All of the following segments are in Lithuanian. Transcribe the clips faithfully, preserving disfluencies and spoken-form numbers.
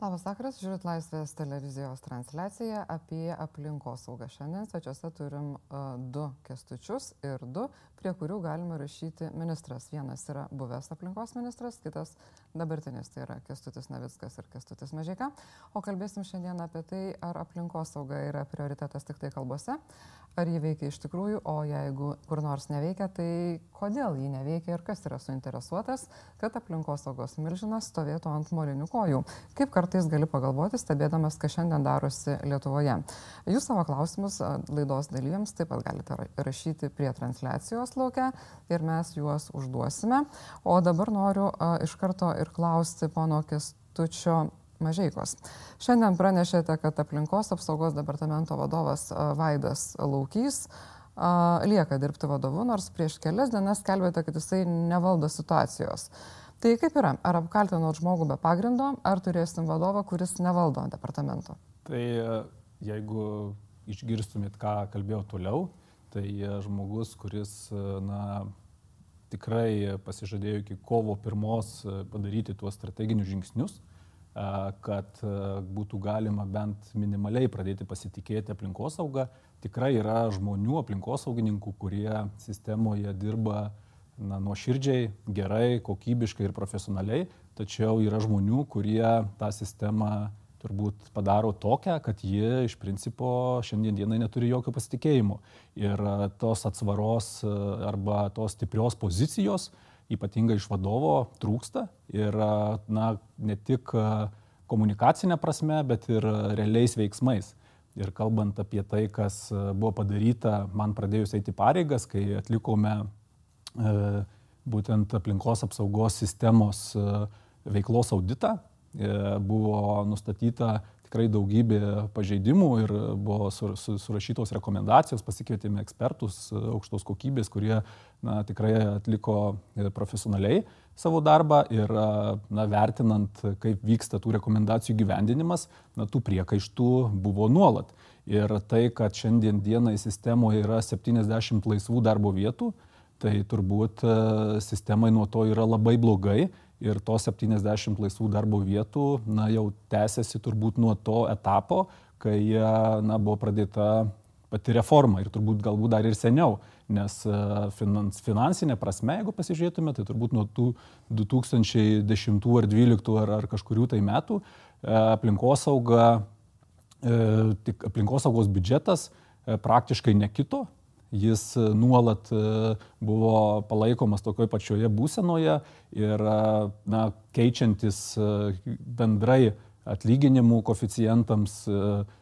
Labas vakaras, žiūrit Laisvės televizijos transliaciją apie aplinkosaugą. Šiandien svečiuose turim uh, du Kęstučius ir du, prie kurių galime rašyti ministras. Vienas yra buvęs aplinkos ministras, kitas dabartinis, tai yra Kęstutis Navickas ir Kęstutis Mažeika. O kalbėsim šiandien apie tai, ar aplinkosauga yra prioritetas tik tai kalbose, ar jį veikia iš tikrųjų, o jeigu kur nors neveikia, tai kodėl jį neveikia ir kas yra suinteresuotas, kad aplinkosaugos milžinas stovėtų ant molinių kojų. Kaip kartais gali pagalvoti, stebėdamas, kas šiandien darosi Lietuvoje. Jūs savo klausimus laidos dalyviams taip pat galite rašyti prie transliacijos lauke ir mes juos užduosime. O dabar noriu a, iš karto ir klausti pono Kęstučio Mažeikos. Šiandien pranešėte, kad aplinkos apsaugos departamento vadovas a, Vaidas Laukys a, lieka dirbti vadovu, nors prieš kelias dienas skelbėte, kad jisai nevaldo situacijos. Tai kaip yra? Ar apkaltinot žmogų be pagrindo, ar turėsim vadovą, kuris nevaldo departamento? Tai jeigu išgirstumėt, ką kalbėjau toliau, tai žmogus, kuris na, tikrai pasižadėjo iki kovo pirmos padaryti tuos strateginius žingsnius, kad būtų galima bent minimaliai pradėti pasitikėti aplinkosaugą, tikrai yra žmonių, aplinkosaugininkų, kurie sistemoje dirba na, nuoširdžiai, gerai, kokybiškai ir profesionaliai, tačiau yra žmonių, kurie tą sistemą turbūt padaro tokią, kad jie iš principo šiandien dienai neturi jokio pasitikėjimo. Ir tos atsvaros arba tos stiprios pozicijos, ypatingai iš vadovo, trūksta. Ir na, ne tik komunikacinė prasme, bet ir realiais veiksmais. Ir kalbant apie tai, kas buvo padaryta, man pradėjus eiti pareigas, kai atlikome būtent aplinkos apsaugos sistemos veiklos auditą, buvo nustatyta tikrai daugybė pažeidimų ir buvo surašytos rekomendacijos, pasikvietėme ekspertus aukštos kokybės, kurie na, tikrai atliko profesionaliai savo darbą ir na, vertinant, kaip vyksta tų rekomendacijų gyvendinimas, na, tų priekaištų buvo nuolat. Ir tai, kad šiandien dienai sistemoje yra septyniasdešimt laisvų darbo vietų, tai turbūt sistemai nuo to yra labai blogai ir tos septyniasdešimt laisvų darbo vietų na, jau tęsiasi turbūt nuo to etapo, kai na, buvo pradėta pati reforma ir turbūt galbūt dar ir seniau, nes finans, finansinė prasme, jeigu pasižiūrėtume, tai turbūt nuo tų du tūkstančiai dešimtų ar dvyliktų ar, ar kažkurių tai metų aplinkosauga, tik aplinkosaugos biudžetas praktiškai nekito. Jis nuolat buvo palaikomas tokioj pačioje būsenoje ir na, keičiantis bendrai atlyginimų koeficientams,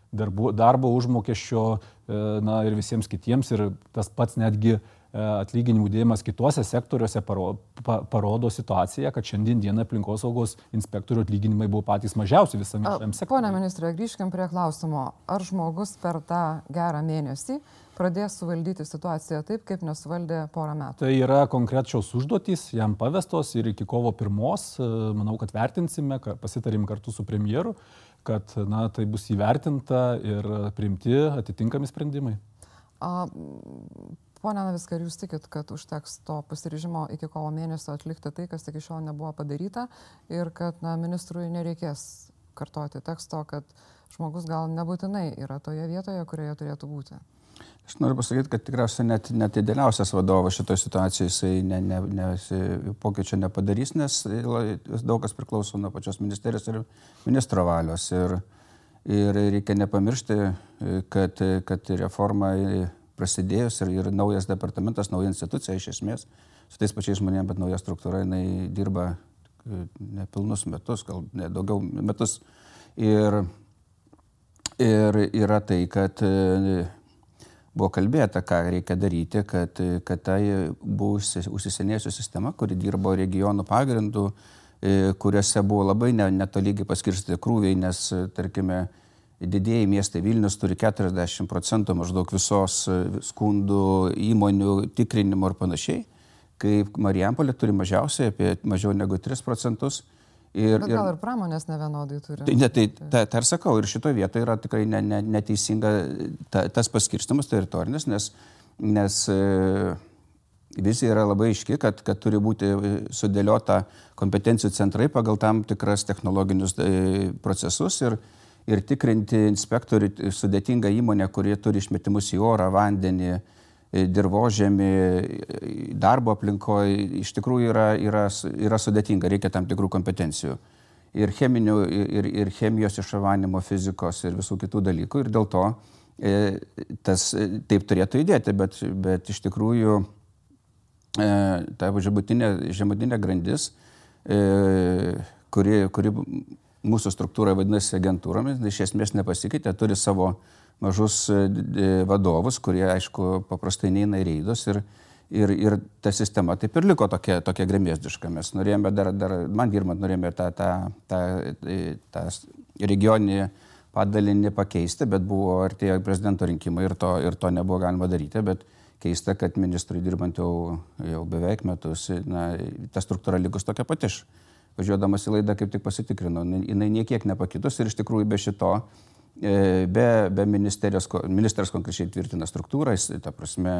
darbo, darbo užmokesčio na, ir visiems kitiems. Ir tas pats netgi atlyginimų dėjimas kituose sektoriuose parodo situaciją, kad šiandien dieną aplinkosaugos inspektorių atlyginimai buvo patys mažiausi visame šiame sektoriuje. Pone ministre, grįžkim prie klausimo. Ar žmogus per tą gerą mėnesį pradės suvaldyti situaciją taip, kaip nesuvaldė porą metų? Tai yra konkrečios užduotys, jam pavestos ir iki kovo pirmos, manau, kad vertinsime, pasitarim kartu su premjeru, kad na, tai bus įvertinta ir priimti atitinkami sprendimai. A, Pone Navickai, ar jūs tikit, kad užteks to pasiryžimo iki kovo mėnesio atlikti tai, kas iki šiol nebuvo padaryta ir kad na, ministrui nereikės kartoti teksto, kad žmogus gal nebūtinai yra toje vietoje, kurioje turėtų būti? Aš noriu pasakyti, kad tikriausiai net, net idealiausias vadovas šitoje situacijoje jisai ne, ne, ne, pokyčio nepadarys, nes daug kas priklauso nuo pačios ministerijos ir ministro valios. Ir, ir reikia nepamiršti, kad, kad reforma prasidėjus ir, ir naujas departamentas, nauja institucija iš esmės, su tais pačiais žmonėmis, bet nauja struktūra, jinai dirba nepilnus metus, gal ne daugiau metus. Ir, ir yra tai, kad buvo kalbėta, ką reikia daryti, kad, kad tai buvo užsisenėjusi sistema, kuri dirbo regionų pagrindų, kuriuose buvo labai netolygiai paskirstyti krūviai, nes, tarkime, didieji miestai Vilnius turi keturiasdešimt procentų maždaug visos skundų, įmonių, tikrinimo ir panašiai, kaip Marijampolė turi mažiausiai, apie mažiau negu tris procentus. Ir, Bet gal ir pramonės nevienodai turi. Tai, tai, tai, tai ir sakau, ir šitoje vietoje yra tikrai ne, ne, neteisinga ta, tas paskirstimas teritorinis, nes, nes vizija yra labai aiški, kad, kad turi būti sudėliota kompetencijų centrai pagal tam tikras technologinius procesus ir, ir tikrinti inspektorių sudėtingą įmonę, kurie turi išmetimus į orą, vandenį, dirvožemį, darbo aplinkoje, iš tikrųjų yra, yra, yra sudėtinga, reikia tam tikrų kompetencijų. Ir, cheminių, ir, ir chemijos išavanimo, fizikos ir visų kitų dalykų. Ir dėl to e, tas taip turėtų įdėti, bet, bet iš tikrųjų e, ta žemutinė, žemutinė grandis, e, kuri, kuri mūsų struktūra vadinasi agentūromis, iš esmės nepasikeitė, turi savo mažus vadovus, kurie, aišku, paprastai neina į reidus ir, ir, ir ta sistema taip ir liko tokia, tokia gremėzdiška. Mes norėjome dar, dar man dirbant, norėjome tą, tą, tą, tą regioninį padalinį pakeisti, bet buvo artėjo prezidento rinkimai ir to, ir to nebuvo galima daryti, bet keista, kad ministrui dirbant jau, jau beveik metus, na, ta struktūra likus tokia pati. Važiuodamas į laidą kaip tik pasitikrinau, jinai niekiek nepakitus ir iš tikrųjų be šito Be, be ministerijos, ministras konkrečiai tvirtina struktūrą, ta prasme,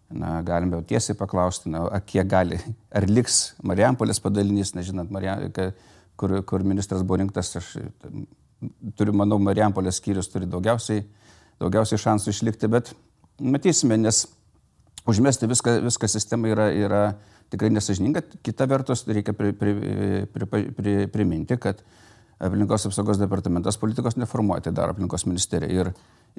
na, galime tiesiai paklausti, na, kiek gali, ar liks Marijampolės padalinys, nežinant, Marijam, kur, kur ministras buvo rinktas, aš turiu, manau, Marijampolės skyrius turi daugiausiai, daugiausiai šansų išlikti, bet matysime, nes užmesti viską, viską sistemą yra, yra tikrai nesažininga. Kita vertus, reikia pri, pri, pri, pri, pri, priminti, kad Aplinkos apsaugos departamentas politikos neformuoja, tai daro aplinkos ministerija. Ir,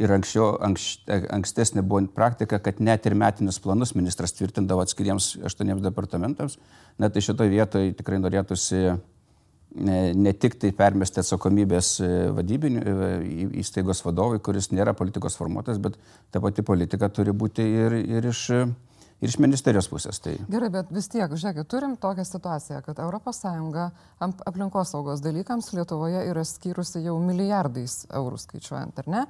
ir anksčiau, anks, ankstesnė buvo praktika, kad net ir metinius planus ministras tvirtindavo atskiriems aštuoniems departamentams. Net tai šitoje vietoje tikrai norėtųsi ne, ne tik tai permesti atsakomybės vadybinių įstaigos vadovui, kuris nėra politikos formuotas, bet ta pati politika turi būti ir, ir iš... ir iš ministerijos pusės. Tai... Gerai, bet vis tiek, žiūrėkit, turim tokią situaciją, kad Europos Sąjunga aplinkosaugos dalykams Lietuvoje yra skyrusi jau milijardais eurų skaičiuojant, ar ne?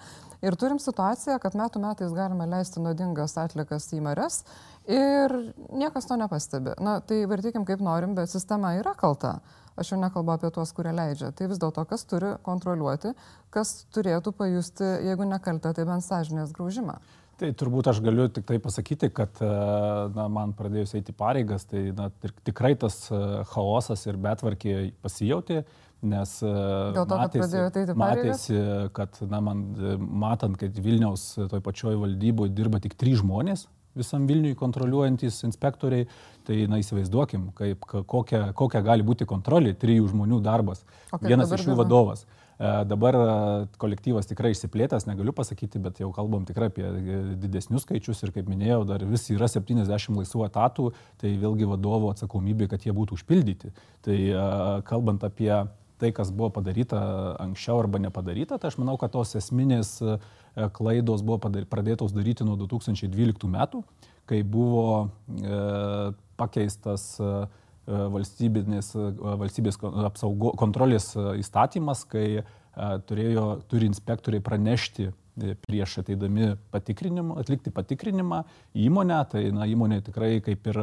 Ir turim situaciją, kad metų metais galime leisti nuodingas atlikas į marias ir niekas to nepastebi. Na, tai vartykim kaip norim, bet sistema yra kalta. Aš jau nekalbu apie tuos, kurie leidžia. Tai vis dėlto, kas turi kontroliuoti, kas turėtų pajusti, jeigu nekalta, tai bent sąžinės graužimą. Tai turbūt aš galiu tik tai pasakyti, kad na, man pradėjus eiti pareigas, tai na, tikrai tas chaosas ir betvarkė pasijauti, nes Dėl to, matėsi, matėsi, kad na, man, matant, kad Vilniaus toj pačioj valdyboje dirba tik trys žmonės, visam Vilniui kontroliuojantys inspektoriai, tai na, įsivaizduokim, kaip, kokia, kokia gali būti kontrolė, trijų žmonių darbas, okay, vienas iš jų vadovas. Dabar kolektyvas tikrai išsiplėtęs, negaliu pasakyti, bet jau kalbam tikrai apie didesnius skaičius ir kaip minėjau, dar vis yra septyniasdešimt laisvų etatų, tai vėlgi vadovo atsakomybė, kad jie būtų užpildyti. Tai kalbant apie tai, kas buvo padaryta anksčiau arba nepadaryta, tai aš manau, kad tos esminės klaidos buvo pradėtos daryti nuo du tūkstančiai dvyliktų metų, kai buvo pakeistas valstybės, valstybės apsaugo, kontrolės įstatymas, kai turėjo, turi inspektoriai pranešti prieš ateidami patikrinimą, atlikti patikrinimą įmonę, tai na, įmonė tikrai kaip ir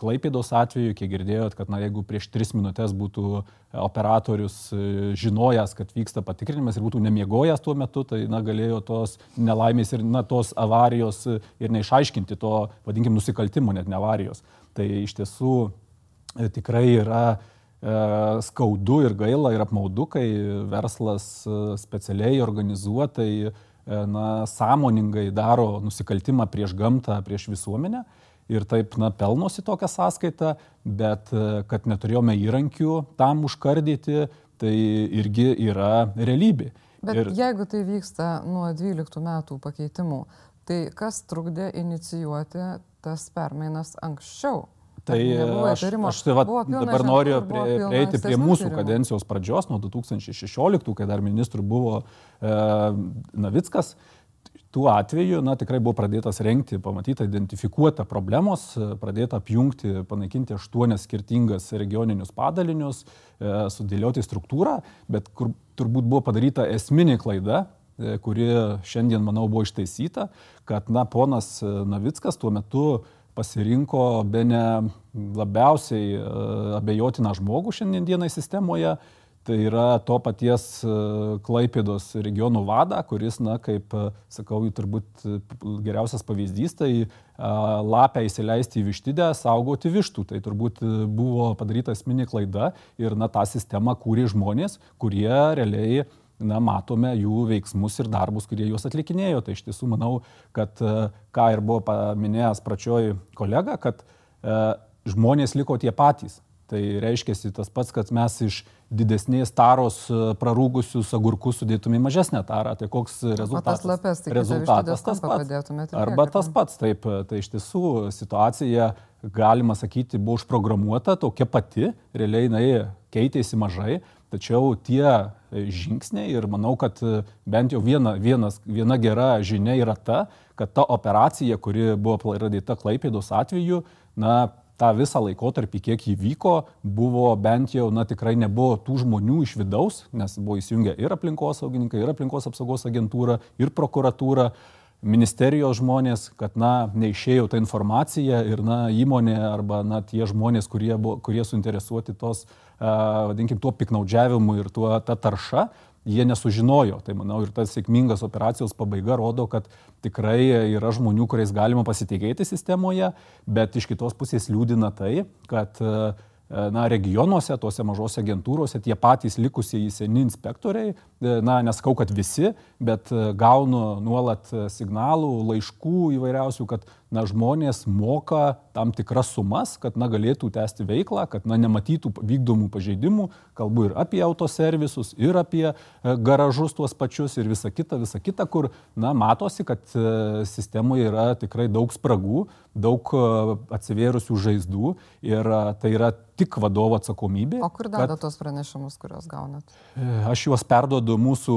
Klaipėdos atveju, kiek girdėjot, kad na, jeigu prieš tris minutės būtų operatorius žinojęs, kad vyksta patikrinimas ir būtų nemiegojęs tuo metu, tai na, galėjo tos nelaimės ir na, tos avarijos ir neišaiškinti to, vadinkim, nusikaltimo, net ne avarijos. Tai iš tiesų tikrai yra e, skaudu ir gaila ir apmaudu, kai verslas specialiai organizuotai, e, na, sąmoningai daro nusikaltimą prieš gamtą, prieš visuomenę ir taip, na, pelnosi tokią sąskaitą, bet e, kad neturėjome įrankių tam užkardyti, tai irgi yra realybė. Bet ir... jeigu tai vyksta nuo dvyliktų metų pakeitimų, tai kas trukdė inicijuoti tas permainas anksčiau? Tai aš, aš tai va, dabar noriu prie, prieiti prie mūsų tyrimų. Kadencijos pradžios, nuo du tūkstančiai šešioliktų, kai dar ministrų buvo e, Navickas. Tuo atveju na, tikrai buvo pradėtas rengti, pamatyta, identifikuota problemos, pradėta apjungti, panaikinti aštuonias skirtingas regioninius padalinius, e, sudėlioti struktūrą, bet kur turbūt buvo padaryta esminė klaida, e, kuri šiandien, manau, buvo ištaisyta, kad na, ponas Navickas tuo metu pasirinko bene labiausiai abejotiną žmogų šiandien dienai sistemoje, tai yra to paties Klaipėdos regionų vadą, kuris, na, kaip sakau, turbūt geriausias pavyzdys, tai lapę įsileisti į vištidę, saugoti vištų. Tai turbūt buvo padaryta esminė klaida ir, na, tą sistemą kūrė žmonės, kurie realiai, na, matome jų veiksmus ir darbus, kurie juos atlikinėjo. Tai iš tiesų manau, kad, ką ir buvo paminėjęs pradžioj kolega, kad e, žmonės liko tie patys. Tai reiškia tas pats, kad mes iš didesnės taros prarūgusius agurkus sudėtume į mažesnę tarą. Tai koks rezultatas? O tas lapes, tai rezultatas tas pats. Arba tas pats. Taip, tai iš tiesų situacija, galima sakyti, buvo užprogramuota, tokia pati, realiai jinai keitėsi mažai, tačiau tie žingsniai ir manau, kad bent jau viena, vienas, viena gera žinia yra ta, kad ta operacija, kuri buvo pradėta Klaipėdos atveju, na, tą visą laikotarpį, kiek įvyko, buvo bent jau, na, tikrai nebuvo tų žmonių iš vidaus, nes buvo įsijungę ir aplinkosaugininkai, ir aplinkos apsaugos agentūra, ir prokuratūra, ministerijos žmonės, kad, na, neišėjo ta informacija ir, na, įmonė arba, na, tie žmonės, kurie, buvo, kurie suinteresuoti tos, uh, vadinkim, tuo piknaudžiavimu ir tuo, ta tarša, jie nesužinojo. Tai manau ir tas sėkmingas operacijos pabaiga rodo, kad tikrai yra žmonių, kuriais galima pasitikėti sistemoje, bet iš kitos pusės liūdina tai, kad, na, regionuose, tose mažose agentūrose tie patys likusieji seni inspektoriai, na, nesakau, kad visi, bet gaunu nuolat signalų, laiškų įvairiausių, kad, na, žmonės moka tam tikras sumas, kad, na, galėtų tęsti veiklą, kad, na, nematytų vykdomų pažeidimų, kalbu ir apie autoservisus, ir apie garažus tuos pačius ir visa kita, visa kita, kur, na, matosi, kad sistemoje yra tikrai daug spragų, daug atsivėrusių žaizdų ir tai yra tik vadovo atsakomybė. O kur deda tos pranešimus, kuriuos gaunat? Aš juos perduodu mūsų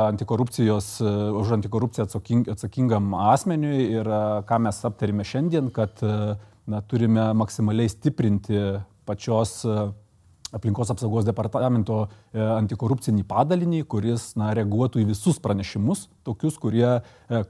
antikorupcijos, už antikorupciją atsaking, atsakingam asmeniui ir ką mes aptarėme šiandien, kad, na, turime maksimaliai stiprinti pačios aplinkos apsaugos departamento antikorupcinį padalinį, kuris, na, reaguotų į visus pranešimus, tokius, kurie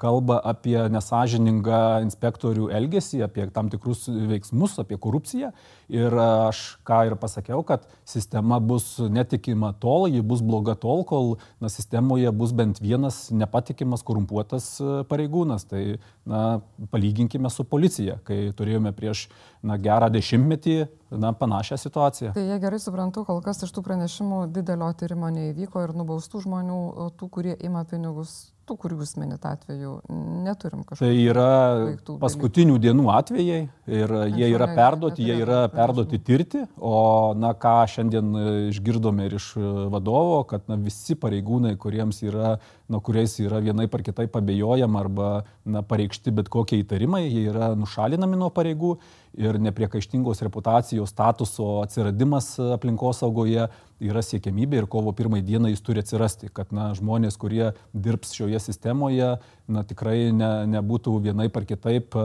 kalba apie nesąžiningą inspektorių elgesį, apie tam tikrus veiksmus, apie korupciją. Ir aš ką ir pasakiau, kad sistema bus netikima tol, ji bus bloga tol, kol, na, sistemoje bus bent vienas nepatikimas korumpuotas pareigūnas. Tai, na, palyginkime su policija, kai turėjome prieš, na, gerą dešimtmetį, na, panašią situaciją. Tai jie gerai suprantu, kol kas iš tų pranešimų didelio tyrimo neįvyko ir nubaustų žmonių, tų, kurie ima pinigus, tų, kurių jūs minit atveju, neturim kažkokių. Tai yra paskutinių dienų atvejai ir jie yra perduoti, jie yra perduoti tirti, o, na, ką šiandien išgirdome ir iš vadovo, kad, na, visi pareigūnai, kuriems yra, na, kuriais yra vienaip ar kitaip abejojama arba, na, pareikšti bet kokie įtarimai, jie yra nušalinami nuo pareigų ir nepriekaištingos reputacijos statuso atsiradimas aplinkosaugoje yra siekiamybė ir kovo pirmai dieną jis turi atsirasti, kad, na, žmonės, kurie dirbs šioje sistemoje, na, tikrai ne, nebūtų vienaip ar kitaip,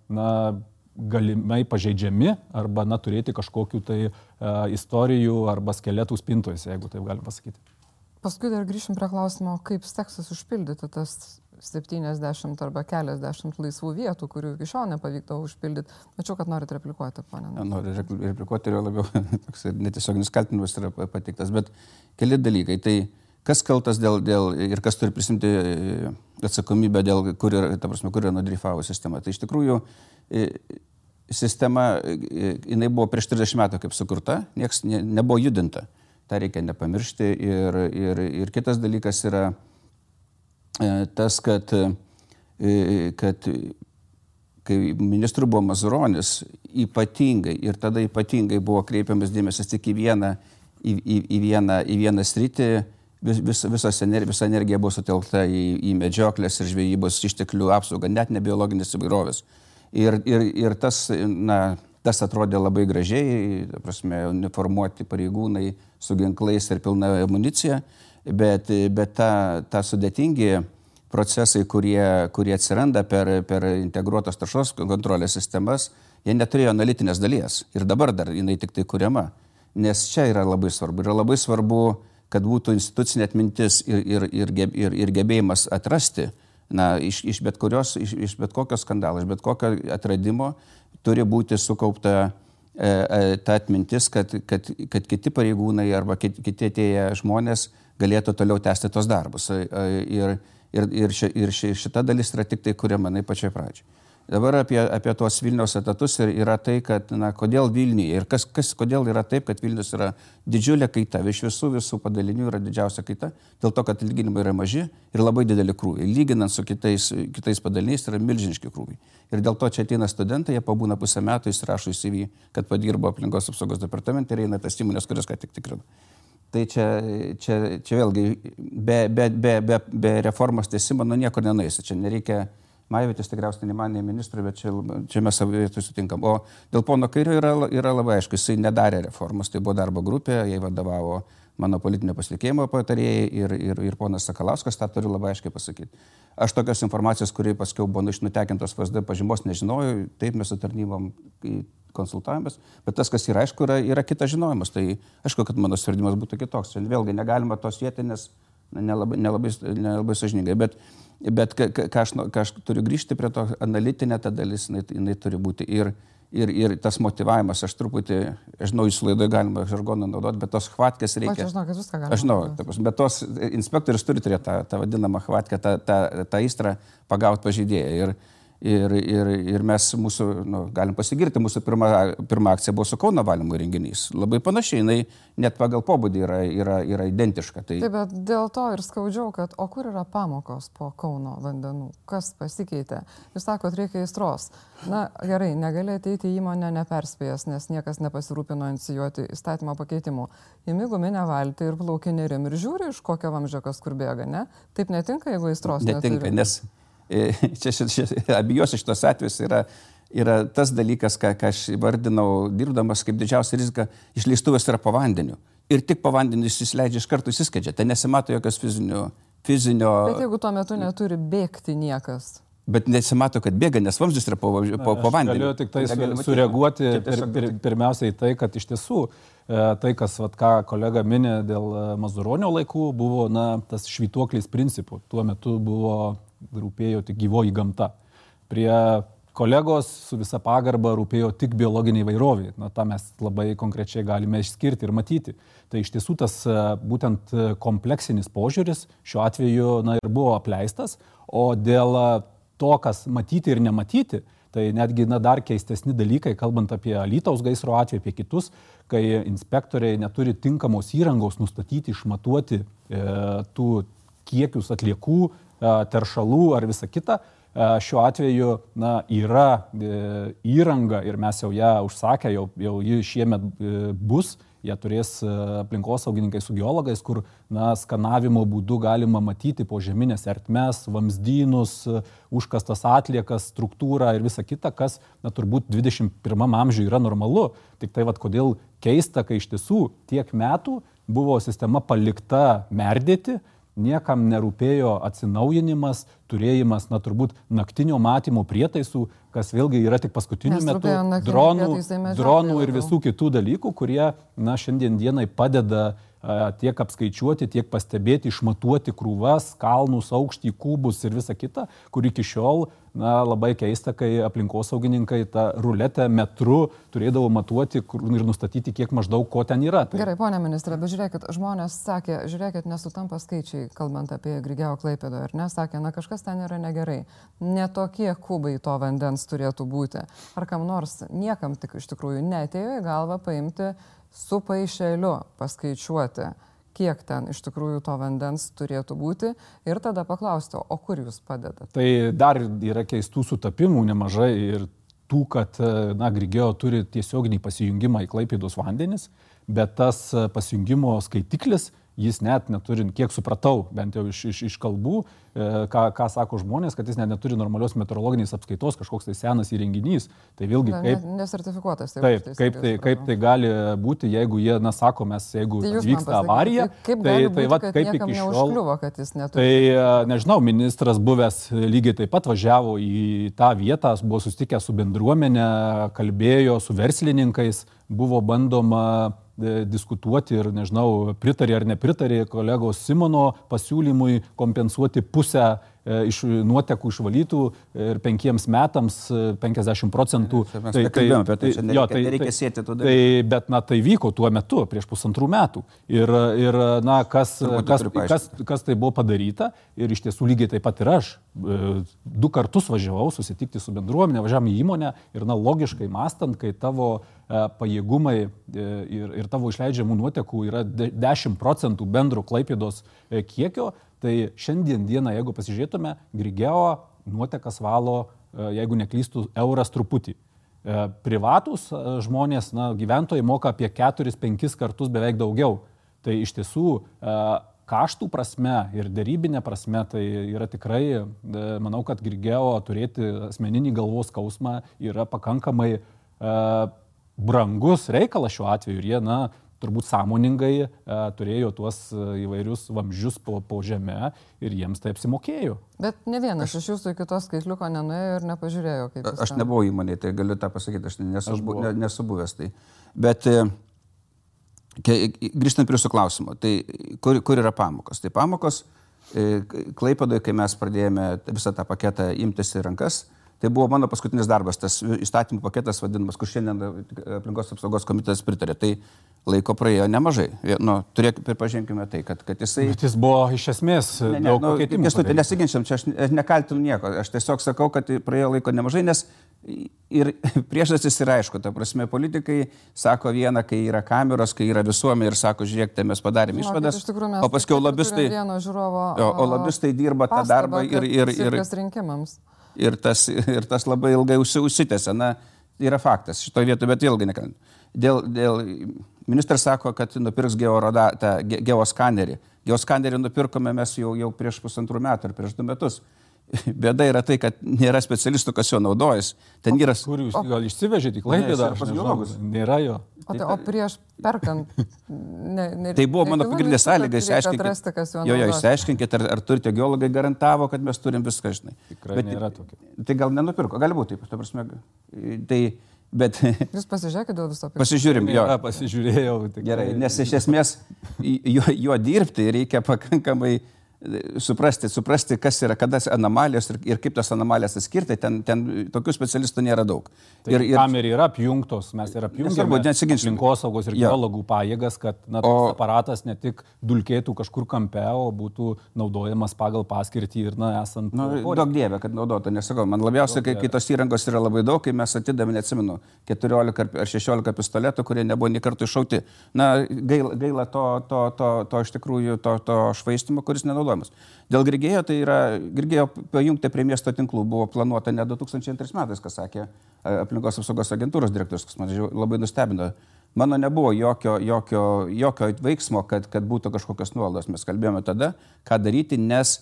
na, galimai pažeidžiami arba, na, turėti kažkokių tai a, istorijų arba skeletų spintojose, jeigu taip galim pasakyti. Paskui dar grįšim prie klausimo, kaip seksis užpildyti tas septyniasdešimt arba keliasdešimt laisvų vietų, kurių iki šiol nepavykdavo užpildyti. Mačiau, kad norit replikuoti, ponė. Noriu replikuoti ir labiau toks netiesioginis kaltinimas yra pateiktas, bet keli dalykai. Tai kas kaltas dėl, dėl ir kas turi prisimti atsakomybę dėl, kur yra, ta prasme, kur yra nudrifavo sistema. Tai iš tikrųjų sistema, jinai buvo prieš trisdešimt metų kaip sukurta, nieks ne, nebuvo judinta. Ta reikia nepamiršti ir, ir, ir kitas dalykas yra tas, kad, kad kai ministrų buvo Mazuronis, ypatingai ir tada ypatingai buvo kreipiamas dėmesys tik į vieną, į, į, į vieną, į vieną sritį, vis, vis, visas, visa energija buvo sutelkta į, į medžioklės ir žvejybos išteklių apsaugą, net ne biologinės įvairovės. Ir, ir, ir tas, na, tas atrodė labai gražiai, ta prasme, uniformuoti pareigūnai su ginklais ir pilna amunicija. Bet, bet ta, ta sudėtingi procesai, kurie, kurie atsiranda per, per integruotos taršos kontrolės sistemas, jie neturėjo analitinės dalies. Ir dabar dar jinai tik tai kuriama. Nes čia yra labai svarbu. Yra labai svarbu, kad būtų institucinė atmintis ir, ir, ir, ir, ir gebėjimas atrasti, na, iš, iš, bet kurios, iš, iš bet kokio skandalo, iš bet kokio atradimo turi būti sukaupta ta atmintis, kad, kad, kad kiti pareigūnai arba kiti atėję žmonės galėtų toliau tęsti tos darbus. Ir, ir, ir, ši, ir ši, šita dalis yra tik tai kuriama manai pačioj pradžioj. Dabar apie, apie tuos Vilniaus etatus yra tai, kad na, kodėl Vilniuje ir kas, kas, kodėl yra taip, kad Vilnius yra didžiulė kaita, iš visų visų padalinių yra didžiausia kaita, dėl to, kad atlyginimai yra maži ir labai dideli krūviai. Lyginant su kitais, kitais padaliniais yra milžiniški krūviai. Ir dėl to čia ateina studentai, jie pabūna pusę metų, įsirašo į C V, kad padirbo aplinkos apsaugos departamente ir eina tas įmonės, kurias ką tik tikrino. Tai čia, čia, čia vėlgi be, be, be, be, be reformos tęsimo nu niekur nenueisi, čia nereikia. Maivytis tikriausiai ne man, ne ministrui, bet čia, čia mes savai sutinkam. O dėl pono Kairio yra, yra labai aišku, jisai nedarė reformos, tai buvo darbo grupė, jai vadovavo mano politinio pasitikėjimo patarėjai ir, ir, ir ponas Sakalauskas, tą turiu labai aiškiai pasakyti. Aš tokios informacijos, kurie paskiau buvo išnutekintos V S D pažymos, nežinojau, taip mes su tarnybom konsultavomės, bet tas, kas yra aišku, yra, yra kitas žinojimas. Tai aišku, kad mano sprendimas būtų kitoks. Čia vėlgi negalima tos sieti, nes nelabai, nelabai, nelabai sąžiningai. Bet Bet ką, ką, aš, ką aš turiu grįžti prie to, analitinė ta dalis, jinai, jinai turi būti. Ir, ir, ir tas motyvavimas, aš truputį, aš žinau, jūsų laidoje galima žargoną naudoti, bet tos hvatkės reikia. Aš žinau, kad viską galima. Aš žinau, ta, bet tos inspektorius turi turėti tą, tą vadinamą hvatkę, tą, tą, tą įstrą pagauti pažeidėją. Ir, ir, ir, ir mes mūsų, nu, galim pasigirti, mūsų pirma, pirma akcija buvo su Kauno valymo įrenginys. Labai panašiai, jinai net pagal pobūdį yra, yra, yra identiška. Tai... Taip, bet dėl to ir skaudžiau, kad o kur yra pamokos po Kauno vandenų? Kas pasikeitė? Jūs sakot, reikia aistros. Na gerai, negali ateiti į įmonę neperspėjęs, nes niekas nepasirūpino inicijuoti įstatymo pakeitimų. Imi guminę valtį ir plauki nerim ir žiūri, iš kokio vamzdžio kas kur bėga, ne? Taip netinka, jeigu aistros neturi. Netinka, nes čia, čia, čia abiejose šitos atvejus yra, yra tas dalykas, ką, ką aš vardinau dirbdamas kaip didžiausia rizika, išleistuvės yra po vandeniu. Ir tik po vandeniu jis įsileidžia iš karto įsiskadžia. Tai nesimato jokios fizinio, fizinio... Bet jeigu tuo metu neturi bėgti niekas. Bet nesimato, kad bėga, nes vamzdis yra po, po, po vandeniu. Galiu tik tai su, sureaguoti pir, pir, pirmiausiai į tai, kad iš tiesų tai, kas, vat, ką kolega minė dėl Mazuronio laikų, buvo na, tas švytuoklis principų. Tuo metu buvo rūpėjo tik gyvoji gamta. Prie kolegos su visa pagarba rūpėjo tik biologiniai įvairoviai. Na, tą mes labai konkrečiai galime išskirti ir matyti. Tai iš tiesų tas būtent kompleksinis požiūris šiuo atveju na, ir buvo apleistas, o dėl to, kas matyti ir nematyti, tai netgi na, dar keistesni dalykai, kalbant apie Alytaus gaisro atveju, apie kitus, kai inspektoriai neturi tinkamos įrangos nustatyti, išmatuoti e, tų kiekius atliekų, teršalų ar visa kita. Šiuo atveju na, yra e, įranga ir mes jau ją užsakę, jau, jau ji šiemet e, bus, jie turės aplinkosaugininkai su geologais, kur na, skanavimo būdu galima matyti požeminės ertmes, vamzdynus, užkastas atliekas, struktūrą ir visa kita, kas na, turbūt dvidešimt pirmam amžiuje yra normalu. Tik tai vat, kodėl keista, kai iš tiesų tiek metų buvo sistema palikta merdėti, niekam nerūpėjo atsinaujinimas, turėjimas, na turbūt naktinio matymo prietaisų, kas vėlgi yra tik paskutiniu metu dronų, dronų ir visų kitų dalykų, kurie na, šiandien dienai padeda a, tiek apskaičiuoti, tiek pastebėti, išmatuoti krūvas, kalnus, aukštį, kubus ir visa kita, kur iki šiol na, labai keista, kai aplinkosaugininkai tą ruletę metru turėdavo matuoti ir nustatyti, kiek maždaug ko ten yra. Tai... Gerai, ponia ministrė, bet žiūrėkit, žmonės sakė, žiūrėkit, nesutampa skaičiai, kalbant apie Grigeo Klaipėdą, ar ne, sakė, na kažkas ten yra negerai, ne tokie kubai to vandens turėtų būti. Ar kam nors, niekam tik iš tikrųjų neatėjo į galvą paimti su paišeliu, paskaičiuoti, kiek ten iš tikrųjų to vandens turėtų būti ir tada paklausti, o kur jūs padedate? Tai dar yra keistų sutapimų nemažai ir tų, kad na, Grigeo turi tiesioginį pasijungimą į Klaipėdos vandenis, bet tas pasijungimo skaitiklis jis net neturi, kiek supratau, bent jau iš, iš, iš kalbų, e, ką, ką sako žmonės, kad jis net neturi normalios meteorologinės apskaitos, kažkoks tai senas įrenginys. Tai vėlgi kaip... Nesertifikuotas. Taip, taip kaip, tai, kaip tai gali būti, jeigu jie, na, sako, mes, jeigu tai vyksta avarija, kaip tai, būti, tai va, kaip iki šiol... Neužkliuvo, kad jis neturi. Tai, nežinau, ministras buvęs lygiai taip pat važiavo į tą vietą, buvo susitikęs su bendruomenė, kalbėjo su verslininkais, buvo bandoma diskutuoti ir, nežinau, pritarė ar nepritarė kolegos Simono pasiūlymui kompensuoti pusę iš nuotekų išvalytų ir penkiems metams penkiasdešimt procentų. Mes tai, nekalbėjome apie tai, čia nereikia, jo, tai, nereikia sėti tų dalykų. Tai, bet na, tai vyko tuo metu, prieš pusantrų metų. Ir, ir na, kas, kas, kas, kas tai buvo padaryta ir iš tiesų lygiai taip pat ir aš. Du kartus važiavau susitikti su bendruomenė, važiavam į įmonę ir na, logiškai mąstant, kai tavo pajėgumai ir, ir tavo išleidžiamų nuotekų yra dešimt procentų bendro Klaipėdos kiekio, tai šiandien dieną, jeigu pasižiūrėtume, Grigeo nuotekas valo, jeigu neklystų, euras truputį. Privatus žmonės, na, gyventojai moka apie keturis penkis kartus beveik daugiau. Tai iš tiesų kaštų prasme ir dėrybinė prasme tai yra tikrai, manau, kad Grigeo turėti asmeninį galvos skausmą yra pakankamai brangus reikalas šiuo atveju ir jie, na, turbūt sąmoningai e, turėjo tuos įvairius vamzdžius po, po žemę ir jiems tai apsimokėjo. Bet ne vienas aš, iš jūsų iki to skaitliuko nenuėjo ir nepažiūrėjo, kaip jis. Aš ten. nebuvau įmonėje, tai galiu tą pasakyti, aš nesu, aš bu, ne, nesu buvęs. Tai. Bet e, grįžtant prie jūsų klausimo, tai kur, kur yra pamokos? Tai pamokos e, Klaipėdoje, kai mes pradėjome visą tą paketą imtis į rankas, tai buvo mano paskutinis darbas, tas įstatymų paketas vadinamas, kur šiandien aplinkos apsaugos komitetas pritarė. Tai laiko praėjo nemažai. Nu, turėk, pripažinkime tai, kad, kad jisai... Bet jis buvo iš esmės ne, ne, daug nu, pakeitimų. Tai nesiginčiam, čia aš nekaltinu nieko. Aš tiesiog sakau, kad praėjo laiko nemažai, nes ir priežastis yra aišku. Ta prasme, politikai sako vieną, kai yra kameros, kai yra visuomenė ir sako, žiūrėk, tai mes padarėm išvadas. O paskui lobistai, žiūrovo, o, o lobistai dirba tą darbą ir... ir, ir, ir Ir tas, ir tas labai ilgai užsitęsia. Na, yra faktas šitoje vietoje, bet ilgai nekalbėjau. Dėl, dėl, ministras sako, kad nupirks georoda, tą geoskanerį. Geoskanerį nupirkome mes jau, jau prieš pusantrų metų ar prieš du metus. Bėda yra tai, kad nėra specialistų, kas jo naudojas. Ten yra... Kur jūs gal išsivežėte į Klaipėdą? Nėra jo. O, tai, o prieš perkant... Ne, ne, tai buvo mano pagrindinė sąlyga. Jo, jo, išsiaiškinkit, ar, ar turite geologai garantavo, kad mes turim viską, žinai. Tikrai bet, nėra tokio. Tai gal nenupirko, gali būti taip. Ta prasme, tai, bet... Jūs pasižiūrėkite dėl viso. Pasižiūrim, jo. Nėra, pasižiūrėjau. Tikrai. Gerai, nes iš esmės jo, jo dirbti reikia pakankamai... Suprasti, suprasti, kas yra, kada anomalijos ir, ir kaip tas anomalijas atskirti, ten, ten tokių specialistų nėra daug. Tai ir, ir kamerį yra apjungtos, mes ir apjungėme aplinkosaugos ir geologų pajėgas, kad na, o, aparatas ne tik dulkėtų kažkur kampe, o būtų naudojamas pagal paskirtį ir na, esant... Nu, daug dievė, kad naudotų, nesakau. Man labiausiai, kai, kai tos įrangos yra labai daug, kai mes atidame, neatsimenu, keturiolika ar šešiolika pistoletų, kurie nebuvo nei kartų iššauti. Na, gaila, gaila to, to, to, to iš tikrųjų to, to švaistimo, kuris nenaudoja. Dėl Grigėjo, tai yra, Grigėjo pajungti prie miesto tinklų buvo planuota ne du tūkstančiai antrais metais, kas sakė aplinkos apsaugos agentūros direktorius, kas man labai nustebino. Mano nebuvo jokio, jokio, jokio veiksmo, kad, kad būtų kažkokios nuolaidos. Mes kalbėjome tada, ką daryti, nes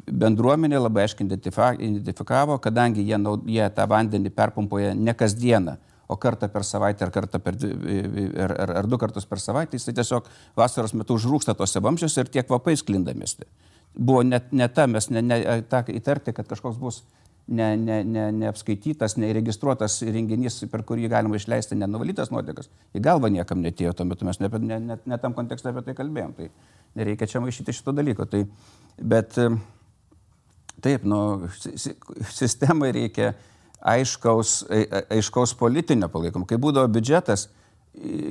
bendruomenė labai aiškiai identifikavo, kadangi jie, jie tą vandenį perpumpuoja ne kasdieną, o kartą per savaitę ar, kartą per, ar, ar, ar du kartus per savaitę, jis tiesiog vasaros metu užrūksta tose vamzdžiuose ir tie kvapai sklinda mieste. Buvo net ne ta, mes ne, ne, ta įtarti, kad kažkoks bus ne, ne, ne, neapskaitytas, neregistruotas renginys, per kurį galima išleisti nenuvalytas nuotekas. Į galvą niekam netėjo, tuo metu mes ne, ne, ne, ne tam kontekste apie tai kalbėjom. Tai nereikia čia maišyti šito dalyko. Tai, bet taip, nu, sistemai reikia aiškaus, aiškaus politinio palaikymo. Kai būdavo biudžetas,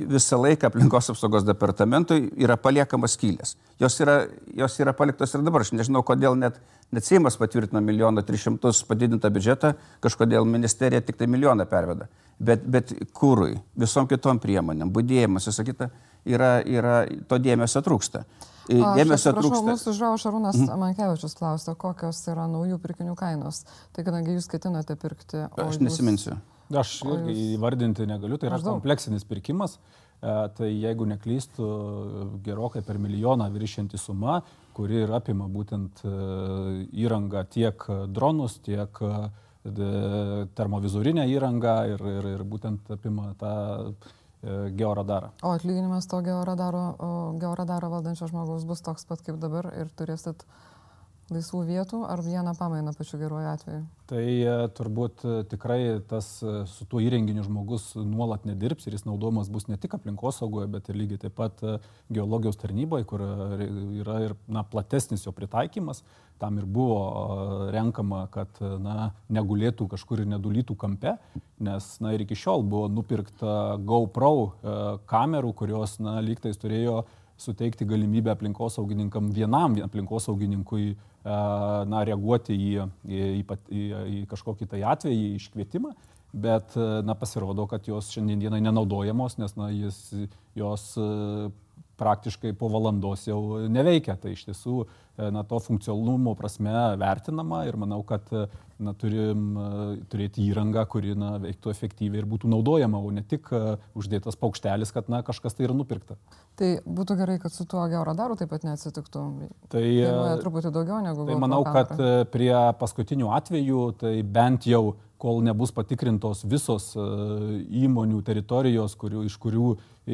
visą laiką aplinkos apsaugos departamentui yra paliekamas skylės. Jos yra, jos yra paliktos ir dabar. Aš nežinau, kodėl net, net Seimas patvirtino milijoną tris šimtus padidintą biudžetą, kažkodėl ministerija tik tai milijoną perveda. Bet, bet kūrui, visom kitom priemonėm, budėjimas, visą kitą, yra, yra, to dėmesio trūksta. Dėmesio trūksta. Prašau, mūsų žiūrovas Šarūnas mm. Mankevičius klausia, kokios yra naujų pirkinių kainos. Tai kadangi jūs ketinate pirkti... Aš nesiminsiu. Jūs... Aš irgi įvardinti negaliu, tai yra Maždaug. kompleksinis pirkimas. Tai jeigu neklystu, gerokai per milijoną viršianti suma, kuri ir apima būtent įrangą tiek dronus, tiek termovizorinę įrangą ir, ir, ir būtent apima tą georadarą. O atlyginimas to georadaro, georadaro valdančio žmogaus bus toks pat kaip dabar ir turėsit laisvų vietų ar vieną pamainą pačiu geruoju atveju? Tai turbūt tikrai tas su tuo įrenginiu žmogus nuolat nedirbs ir jis naudojamas bus ne tik aplinkosaugoje, bet ir lygiai taip pat geologijos tarnyboje, kur yra ir na, platesnis jo pritaikymas. Tam ir buvo renkama, kad na, negulėtų kažkur ir nedulytų kampe, nes na, ir iki šiol buvo nupirkta GoPro kamerų, kurios na, lygtais turėjo suteikti galimybę aplinkosaugininkam, vienam aplinkosaugininkui na, reaguoti į, į, į, į kažkokį tai atvejį, iškvietimą, bet na, pasirodo, kad jos šiandienai nenaudojamos, nes na, jis, jos praktiškai po valandos jau neveikia. Tai iš tiesų na, to funkcionalumo prasme vertinama ir manau, kad na, turim turėti įrangą, kuri na, veiktų efektyviai ir būtų naudojama, o ne tik uždėtas paukštelis, kad na, kažkas tai yra nupirkta. Tai būtų gerai, kad su tuo georadaru taip pat neatsitiktų. Tai kainuoja truputį daugiau negu tai manau, kad prie paskutinių atvejų, tai bent jau kol nebus patikrintos visos įmonių teritorijos, kurių, iš kurių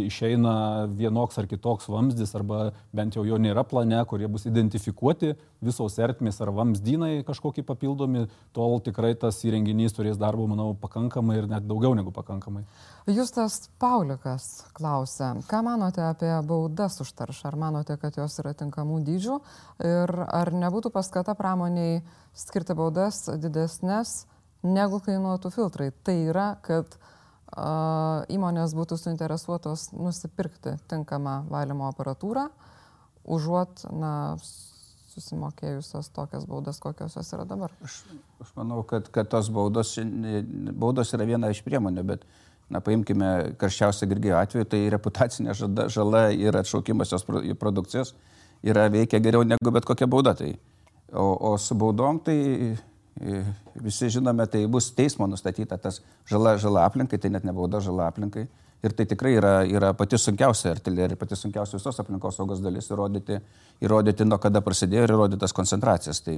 išeina vienoks ar kitoks vamzdis, arba bent jau jo nėra plane, kurie bus identifikuoti visos ertmės ar vamzdynai kažkokie papildomi, tol tikrai tas įrenginys turės darbo, manau, pakankamai ir net daugiau negu pakankamai. Justas Paulikas klausia, ką manote apie baudas už taršą? Ar manote, kad jos yra tinkamų dydžių? Ir ar nebūtų paskata pramoniai skirti baudas didesnės negu kainuotų filtrai? Tai yra, kad a, įmonės būtų suinteresuotos nusipirkti tinkamą valymo aparatūrą, užuot na, susimokėjusios tokias baudas, kokios jos yra dabar. Aš, aš manau, kad, kad tos baudos, baudos yra viena iš priemonių, bet na, paimkime karščiausią Grigėjo atveju, tai reputacinė žala, žala ir atšaukimas jos produkcijos yra veikia geriau negu bet kokia bauda. Tai. O, o su baudom tai visi žinome, tai bus teismo nustatyta tas žala, žala aplinkai, tai net ne bauda, žala aplinkai. Ir tai tikrai yra, yra pati sunkiausia artilerija, pati sunkiausia visos aplinkos saugos dalis įrodyti, įrodyti nuo kada prasidėjo ir įrodytas koncentracijas. Tai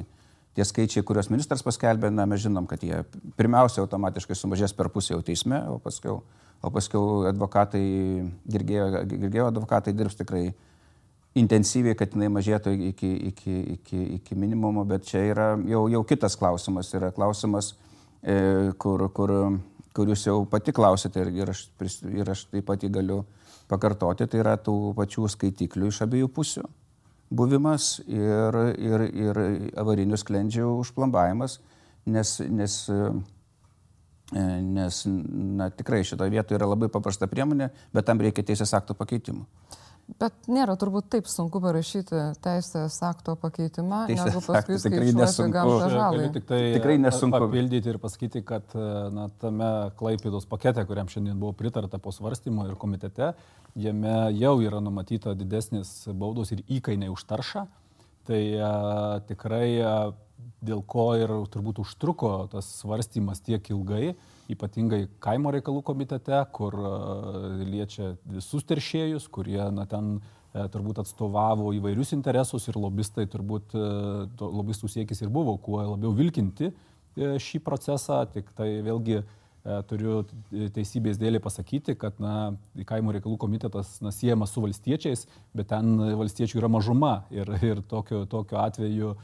tie skaičiai, kuriuos ministras paskelbė, na, mes žinom, kad jie pirmiausia automatiškai sumažės per pusę jau teisme, o paskui, o paskui advokatai, Grigėjo, Grigėjo advokatai dirbs tikrai intensyviai, kad jinai mažėtų iki, iki, iki, iki minimumo, bet čia yra jau, jau kitas klausimas. Yra klausimas, e, kur, kur, kur jūs jau pati klausėte ir, ir, aš, ir aš taip pat jį galiu pakartoti, tai yra tų pačių skaitiklių iš abiejų pusių buvimas ir, ir, ir avarinių sklendžių užplombavimas, nes, nes, nes na, tikrai šitoje vietoje yra labai paprasta priemonė, bet tam reikia teisės akto pakeitimų. Bet nėra turbūt taip sunku parašyti teisės akto pakeitimą, teisės negu paskui skaičiuoti gamtą žalai. Tik tai tikrai nesunku papildyti ir pasakyti, kad na, tame Klaipėdos pakete, kuriam šiandien buvo pritarta po svarstymo ir komitete, jame jau yra numatyta didesnis baudos ir įkainiai už taršą. Tai a, tikrai a, dėl ko ir turbūt užtruko tas svarstymas tiek ilgai, ypatingai kaimo reikalų komitete, kur liečia visus teršėjus, kurie na, ten e, turbūt atstovavo įvairius interesus ir lobistai turbūt e, lobistų siekis ir buvo kuo labiau vilkinti e, šį procesą. Tik tai vėlgi e, turiu teisybės dėlei pasakyti, kad na, kaimo reikalų komitetas na, siejamas su valstiečiais, bet ten valstiečių yra mažuma ir, ir tokiu, tokiu atveju e,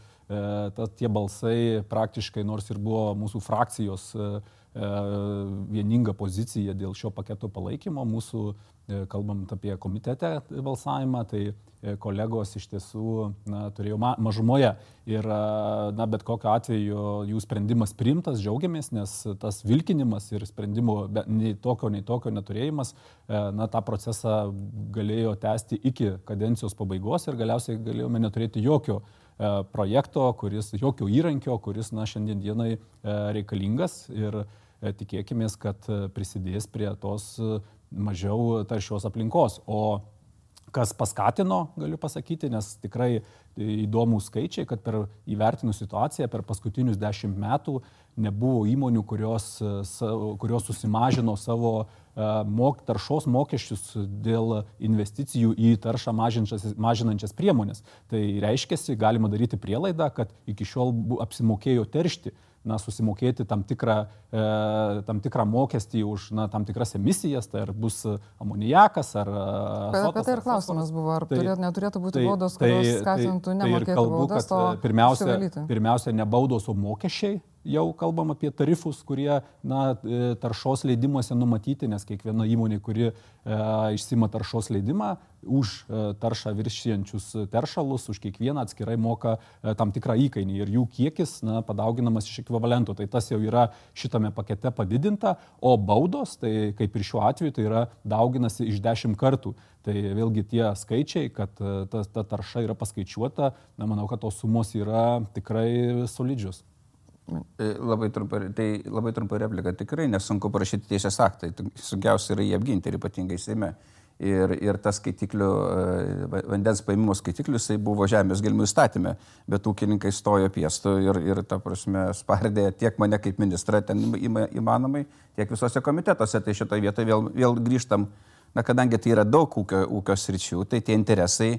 ta, tie balsai praktiškai, nors ir buvo mūsų frakcijos e, vieninga pozicija dėl šio paketo palaikymo. Mūsų, kalbant apie komitete balsavimą, tai kolegos iš tiesų na, turėjo ma mažumoje. Ir na, bet kokiu atveju jų sprendimas priimtas, džiaugiamės, nes tas vilkinimas ir sprendimo nei tokio, nei tokio neturėjimas na, tą procesą galėjo tęsti iki kadencijos pabaigos ir galiausiai galėjome neturėti jokio projekto, kuris, jokio įrankio, kuris na, šiandien dienai reikalingas ir tikėkimės, kad prisidės prie tos mažiau taršios aplinkos. O kas paskatino, galiu pasakyti, nes tikrai įdomūs skaičiai, kad per įvertinus situaciją per paskutinius dešimt metų nebuvo įmonių, kurios, kurios susimažino savo mok, taršos mokesčius dėl investicijų į taršą mažinančias priemonės. Tai reiškiasi, galima daryti prielaidą, kad iki šiol apsimokėjo teršti. na, susimokėti tam tikrą, e, tam tikrą mokestį už na, tam tikras emisijas, tai ar bus amoniakas, ar... Bet apie tai ir klausimas buvo, ar tai, turėt, neturėtų būti tai, baudos, kurios tai, skatintų tai, nemokėti tai kalbu, baudas, o pirmiausia, pirmiausia, ne baudos, o mokesčiai. Jau kalbam apie tarifus, kurie na, taršos leidimuose numatyti, nes kiekviena įmonė, kuri e, išsima taršos leidimą, už e, taršą viršijančius teršalus, už kiekvieną atskirai moka e, tam tikrą įkainį ir jų kiekis na, padauginamas iš ekvivalento. Tai tas jau yra šitame pakete padidinta, o baudos, tai kaip ir šiuo atveju, tai yra dauginasi iš dešimt kartų. Tai vėlgi tie skaičiai, kad ta, ta tarša yra paskaičiuota, na, manau, kad tos sumos yra tikrai solidžios. Labai trumpa, tai labai trumpa replika. Tikrai nesunku parašyti teisės aktai. Sunkiausia yra jį apginti ir ypatingai Seime. Ir, ir tas skaitiklių, vandens paėmimo skaitiklius, tai buvo žemės gelmių įstatyme, bet ūkininkai stojo piestu ir, ir ta prasme, spardė tiek mane kaip ministrą ten įmanomai, tiek visose komitetuose. Tai šitoje vietoje vėl, vėl grįžtam, na, kadangi tai yra daug ūkio, ūkio sričių, tai tie interesai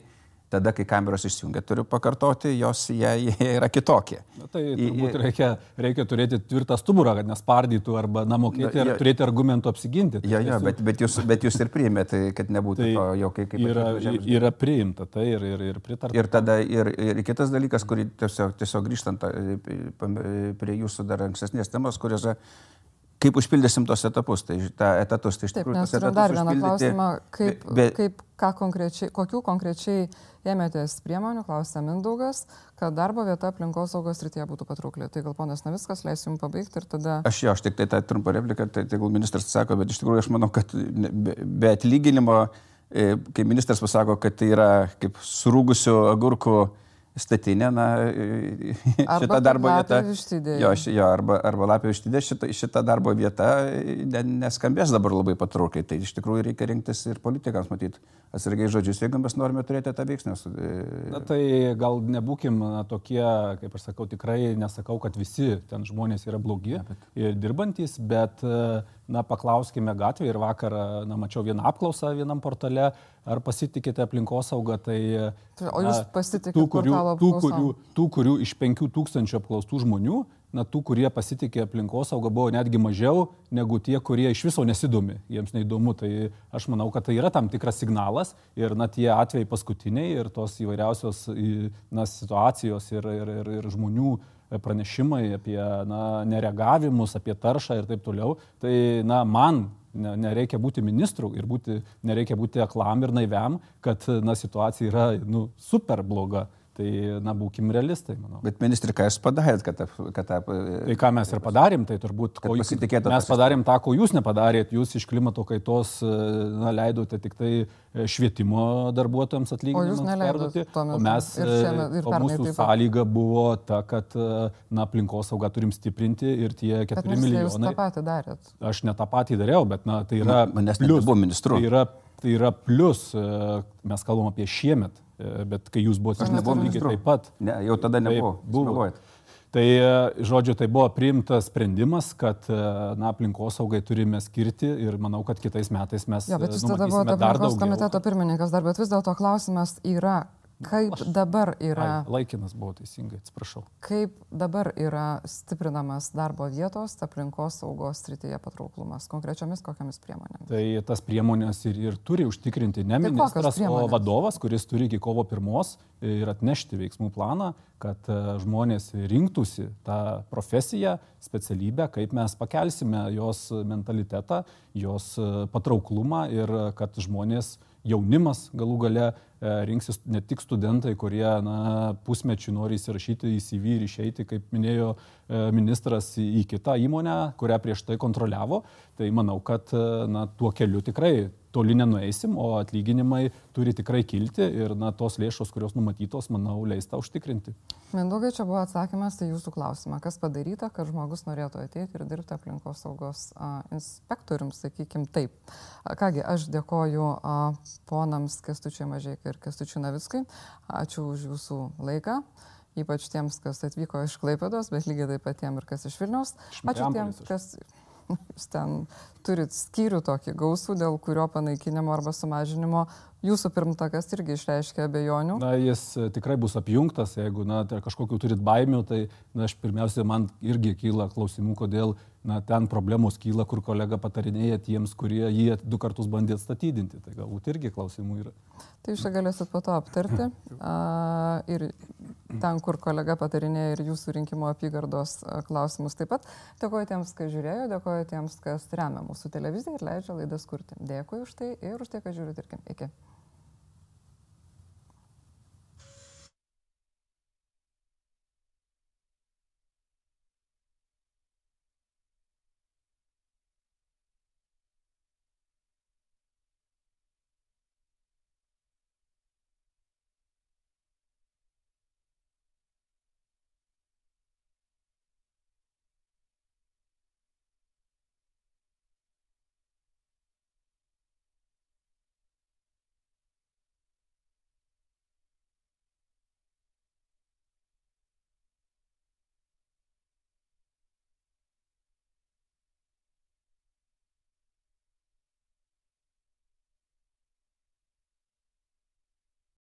tada, kai kameros išsijungia, turiu pakartoti, jos jie, jie yra kitokie. Na, tai turbūt reikia, reikia turėti tvirtą stuburą, kad nespardytų arba namokėti ir turėti argumentų apsiginti. Jo, jo, bet, bet, jūs, bet jūs ir priimėte, kad nebūtų tai to jau kaip... Yra, yra priimta tai ir, ir, ir pritarta. Ir tada ir, ir kitas dalykas, kurį tiesiog, tiesiog grįžtant prie jūsų dar ankstesnės temos, kuriuose kaip užpildysim tos etapus, tai tą etatus, tai iš tikrųjų tos etatus dar vieną užpildyti... klausimą, kaip, be, kaip, ką konkrečiai, kokių konkrečiai ėmėtės priemonių, klausė Mindaugas, kad darbo vieta aplinkosaugos srityje būtų patraukli. Tai gal ponas Navickas leis jums pabaigti ir tada... Aš jo, aš tik tai tą trumpą repliką, tai tegul ministras sako, bet iš tikrųjų aš manau, kad be, be atlyginimo, kai ministras pasako, kad tai yra kaip surūgusių agurkų statinė, na, šita darbo vieta, jo, jo, arba, arba lapė vištidė, šita, šita darbo vieta neskambės dabar labai patraukliai. Tai iš tikrųjų reikia rinktis ir politikams matyti atsargiai žodžius, jeigu mes norime turėti tą veiksmę. Na tai gal nebūkim tokie, kaip aš sakau, tikrai nesakau, kad visi ten žmonės yra blogi ja, bet... ir dirbantis, bet na, paklauskime gatvėje ir vakar, na, mačiau vieną apklausą vienam portale, ar pasitikite aplinkosaugą, tai... O jūs pasitikite portalo tų, kurių, tų, kurių iš penkių tūkstančių apklaustų žmonių, na, tų, kurie pasitikė aplinkosaugą, buvo netgi mažiau negu tie, kurie iš viso nesidomi, jiems neįdomu. Tai aš manau, kad tai yra tam tikras signalas ir, na, tie atvejai paskutiniai ir tos įvairiausios, na, situacijos ir, ir, ir, ir žmonių pranešimai apie, na, nereagavimus, apie taršą ir taip toliau. Tai, na, man nereikia būti ministru ir būti, nereikia būti aklam ir naiviam, kad, na, situacija yra, nu, super bloga. Tai, na, būkim realistai, manau. Bet ministrai, ką jūs padarėt, kad... kad tai ką mes ir padarėm, tai turbūt... Ko jūs, mes padarėm tą, ko jūs nepadarėt. Jūs iš klimato kaitos, na, leidote tik tai švietimo darbuotojams atlyginimams perduoti. O mes, ir šiame, ir o mūsų sąlyga buvo ta, kad, na, aplinkosaugą turim stiprinti ir tie keturi milijonai... Bet jūs tą patį darėt. Aš ne tą patį dariau, bet, na, tai yra... Manęs nebuvo ministru. Tai yra, tai yra plius, mes kalbam apie šiemet. Bet kai jūs buvote, aš nebuvau lygiai taip pat. Ne, jau tada nebuvo. Buvo. Tai, žodžiu, tai buvo priimtas sprendimas, kad, na, aplinkosaugai turime skirti ir manau, kad kitais metais mes... Jo, bet jūs tada buvote aplinkos komiteto pirmininkas dar, bet vis dėlto klausimas yra... Kaip Aš, dabar yra... Ai, laikinas buvo teisingai, atsiprašau. Kaip dabar yra stiprinamas darbo vietos aplinkos saugos srityje patrauklumas? Konkrečiomis kokiamis priemonėmis? Tai tas priemonės ir, ir turi užtikrinti ne tai ministras, o vadovas, kuris turi iki kovo pirmos ir atnešti veiksmų planą, kad žmonės rinktųsi tą profesiją, specialybę, kaip mes pakelsime jos mentalitetą, jos patrauklumą ir kad žmonės, jaunimas galų gale rinksis ne tik studentai, kurie, na, pusmečių nori įsirašyti į C V ir išeiti, kaip minėjo ministras, į kitą įmonę, kurią prieš tai kontroliavo. Tai manau, kad, na, tuo keliu tikrai toli nenueisim, o atlyginimai turi tikrai kilti ir, na, tos lėšos, kurios numatytos, manau, leis tą užtikrinti. Mindaugai, čia buvo atsakymas į jūsų klausimą. Kas padaryta, kad žmogus norėtų ateiti ir dirbti aplinkos saugos a, inspektoriums, sakykim taip. A, kągi, aš dėkoju a, ponams Kęstučiui Mažeikai ir Kęstučiui Navickui. Ačiū už jūsų laiką. Ypač tiems, kas atvyko iš Klaipėdos, bet lygiai taip pat tiem ir kas iš Vilniaus. Ačiū tiems, kas... jūs ten turit skyrių tokį gausų, dėl kurio panaikinimo arba sumažinimo jūsų pirmtakas irgi išreiškia abejonių. Na, jis tikrai bus apjungtas, jeigu, na, tai kažkokiu turit baimių, tai, na, aš pirmiausia, man irgi kyla klausimų, kodėl, na, ten problemos kyla, kur kolega patarinėja tiems, kurie jį du kartus bandė atstatydinti. Tai galbūt irgi klausimų yra. Tai jūs čia galėsit po to aptarti. A, ir ten, kur kolega patarinėja ir jūsų rinkimo apygardos klausimus taip pat. Dėkoju tiems, kas žiūrėjo, dėkoju tiems, kas remia mūsų televiziją ir leidžia laidas kurti. Dėkui už tai ir už tai, kad žiūrit ir iki.